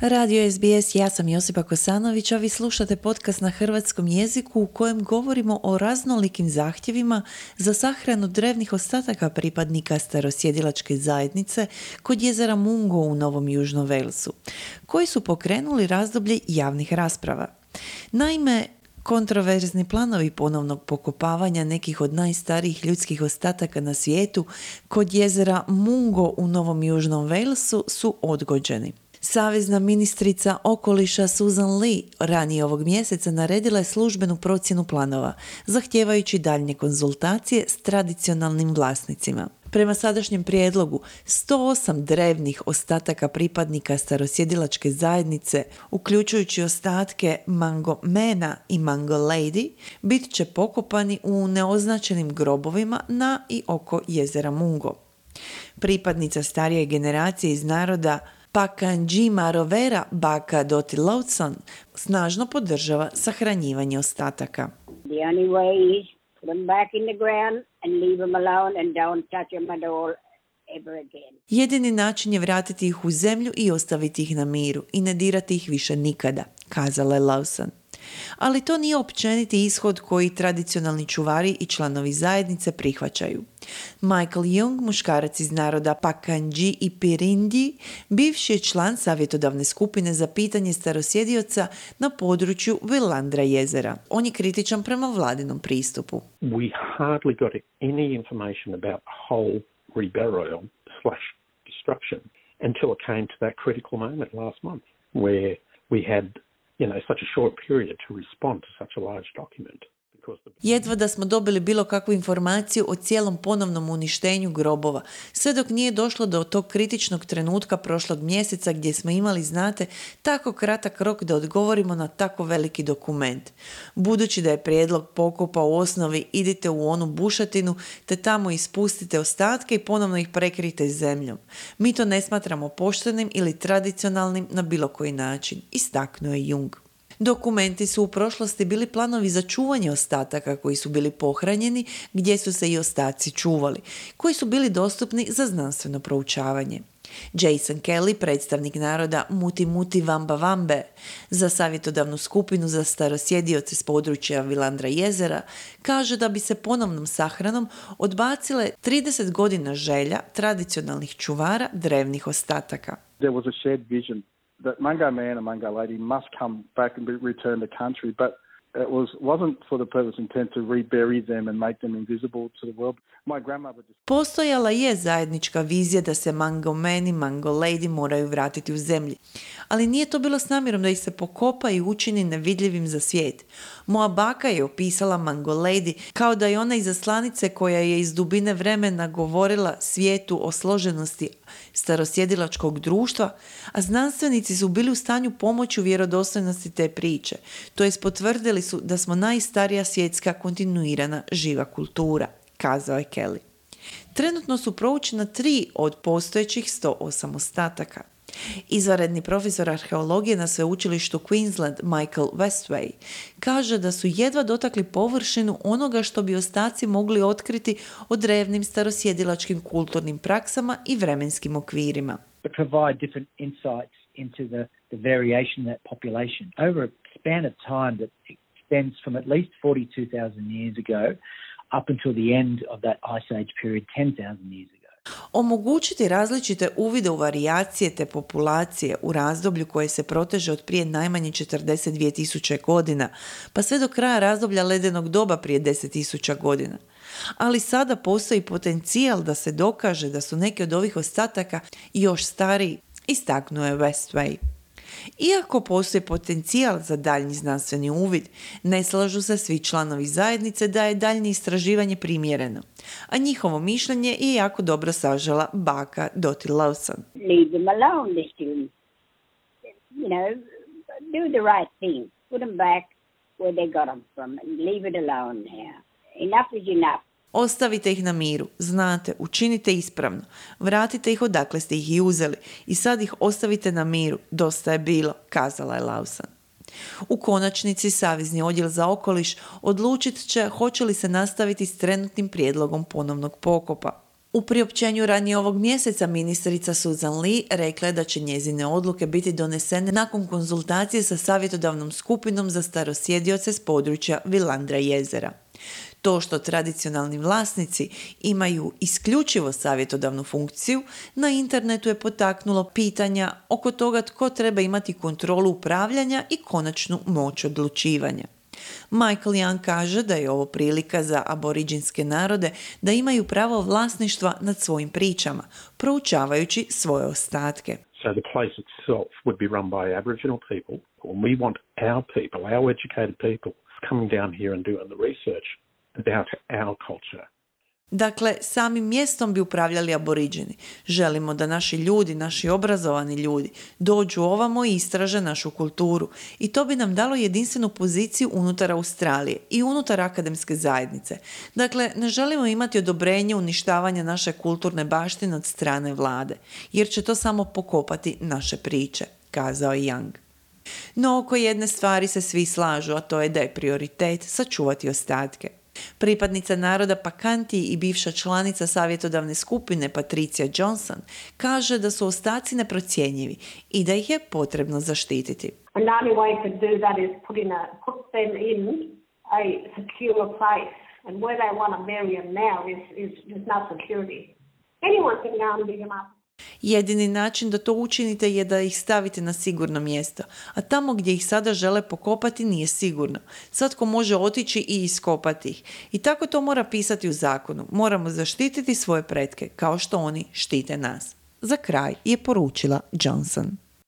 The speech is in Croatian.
Radio SBS, ja sam Josipa Kosanović, a vi slušate podcast na hrvatskom jeziku u kojem govorimo o raznolikim zahtjevima za sahranu drevnih ostataka pripadnika starosjedilačke zajednice kod jezera Mungo u Novom Južnom Walesu, koji su pokrenuli razdoblje javnih rasprava. Naime, kontroverzni planovi ponovnog pokopavanja nekih od najstarijih ljudskih ostataka na svijetu kod jezera Mungo u Novom Južnom Walesu su odgođeni. Savezna ministrica okoliša Susan Lee ranije ovog mjeseca naredila je službenu procjenu planova, zahtijevajući daljnje konzultacije s tradicionalnim vlasnicima. Prema sadašnjem prijedlogu, 108 drevnih ostataka pripadnika starosjedilačke zajednice, uključujući ostatke Mangomena i Mangolady, bit će pokopani u neoznačenim grobovima na i oko jezera Mungo. Pripadnica starije generacije iz naroda Pakanji-Marovera Baka Dottie Lawson snažno podržava sahranjivanje ostataka. The only way is put them back in the ground and leave them alone and don't touch them at all ever again. Jedini način je vratiti ih u zemlju i ostaviti ih na miru i ne dirati ih više nikada, kazala je Lawson. Ali to nije općeniti ishod koji tradicionalni čuvari i članovi zajednice prihvaćaju. Michael Young, muškarac iz naroda Pakanji i Pirindi, bivši je član savjetodavne skupine za pitanje starosjedioca na području Willandra jezera. On je kritičan prema vladinom pristupu. We hardly got any information about whole reburial / destruction until it came to that critical moment last month where we had such a short period to respond to such a large document. Jedva da smo dobili bilo kakvu informaciju o cijelom ponovnom uništenju grobova, sve dok nije došlo do tog kritičnog trenutka prošlog mjeseca gdje smo imali, znate, tako kratak rok da odgovorimo na tako veliki dokument. Budući da je prijedlog pokopa u osnovi idite u onu bušatinu te tamo ispustite ostatke i ponovno ih prekrijte zemljom. Mi to ne smatramo poštenim ili tradicionalnim na bilo koji način, istaknuo je Jung. Dokumenti su u prošlosti bili planovi za čuvanje ostataka koji su bili pohranjeni, gdje su se i ostaci čuvali, koji su bili dostupni za znanstveno proučavanje. Jason Kelly, predstavnik naroda Muti Muti Vamba Vambe, za savjetodavnu skupinu za starosjedioce s područja Willandra jezera, kaže da bi se ponovnom sahranom odbacile 30 godina želja tradicionalnih čuvara drevnih ostataka. There was a shared vision that Mangomena and Mangolady must come back and return to country, but it wasn't for the purpose intent to rebury them and make them invisible to the world. My grandmother just... Postojala je zajednička vizija da se Mangomeni i Mangolady moraju vratiti u zemlji, ali nije to bilo s namjerom da ih se pokopa i učini nevidljivim za svijet. Moja baka je opisala Mangolady kao da je ona izaslanice koja je iz dubine vremena govorila svijetu o složenosti starosjedilačkog društva, a znanstvenici su bili u stanju pomoći u vjerodostojnosti te priče. To jest potvrdili su da smo najstarija svjetska kontinuirana živa kultura, kazao je Kelly. Trenutno su proučena 3 od postojećih 108 ostataka. Izvanredni profesor arheologije na sveučilištu Queensland Michael Westway kaže da su jedva dotakli površinu onoga što bi ostaci mogli otkriti o drevnim starosjedilačkim kulturnim praksama i vremenskim okvirima. But provide different insights into the variation of that population over a span of time that extends from at least 42,000 years ago up until the end of that Ice Age period 10,000 years ago. Omogućiti različite uvide u varijacije te populacije u razdoblju koje se proteže od prije najmanje 42.000 godina, pa sve do kraja razdoblja ledenog doba prije 10.000 godina. Ali sada postoji potencijal da se dokaže da su neki od ovih ostataka još stariji, istaknuo je Westway. Iako postoji potencijal za daljnji znanstveni uvid, ne slažu se svi članovi zajednice da je daljnje istraživanje primjereno, a njihovo mišljenje je jako dobro sažela baka Dottie Lawson. Leave them alone, they still, do the right thing. Put them back where they got them from and leave it alone here. Enough is enough. Ostavite ih na miru, znate, učinite ispravno, vratite ih odakle ste ih i uzeli i sad ih ostavite na miru, dosta je bilo, kazala je Lawson. U konačnici Savezni odjel za okoliš odlučit će hoće li se nastaviti s trenutnim prijedlogom ponovnog pokopa. U priopćenju ranije ovog mjeseca ministrica Susan Lee rekla je da će njezine odluke biti donesene nakon konzultacije sa savjetodavnom skupinom za starosjedioce s područja Vilandra jezera. To što tradicionalni vlasnici imaju isključivo savjetodavnu funkciju, na internetu je potaknulo pitanja oko toga tko treba imati kontrolu upravljanja i konačnu moć odlučivanja. Michael Young kaže da je ovo prilika za aboriđinske narode da imaju pravo vlasništva nad svojim pričama, proučavajući svoje ostatke. So the place itself would be run by Aboriginal people, and we want our people, our educated people, coming down here and doing the research about our culture. Dakle, samim mjestom bi upravljali aboriđeni. Želimo da naši ljudi, naši obrazovani ljudi, dođu ovamo i istraže našu kulturu. I to bi nam dalo jedinstvenu poziciju unutar Australije i unutar akademske zajednice. Dakle, ne želimo imati odobrenje uništavanja naše kulturne baštine od strane vlade, jer će to samo pokopati naše priče, kazao je Young. No, oko jedne stvari se svi slažu, a to je da je prioritet sačuvati ostatke. Pripadnica naroda Pakanti i bivša članica savjetodavne skupine Patricia Johnson kaže da su ostaci neprocjenjivi i da ih je potrebno zaštititi. And the only way to do that is put them in a secure place. And where they want to bury them now is there's no security. Anyone can go and dig them up. Jedini način da to učinite je da ih stavite na sigurno mjesto, a tamo gdje ih sada žele pokopati nije sigurno. Svatko može otići i iskopati ih. I tako to mora pisati u zakonu. Moramo zaštititi svoje pretke, kao što oni štite nas. Za kraj je poručila Johnson.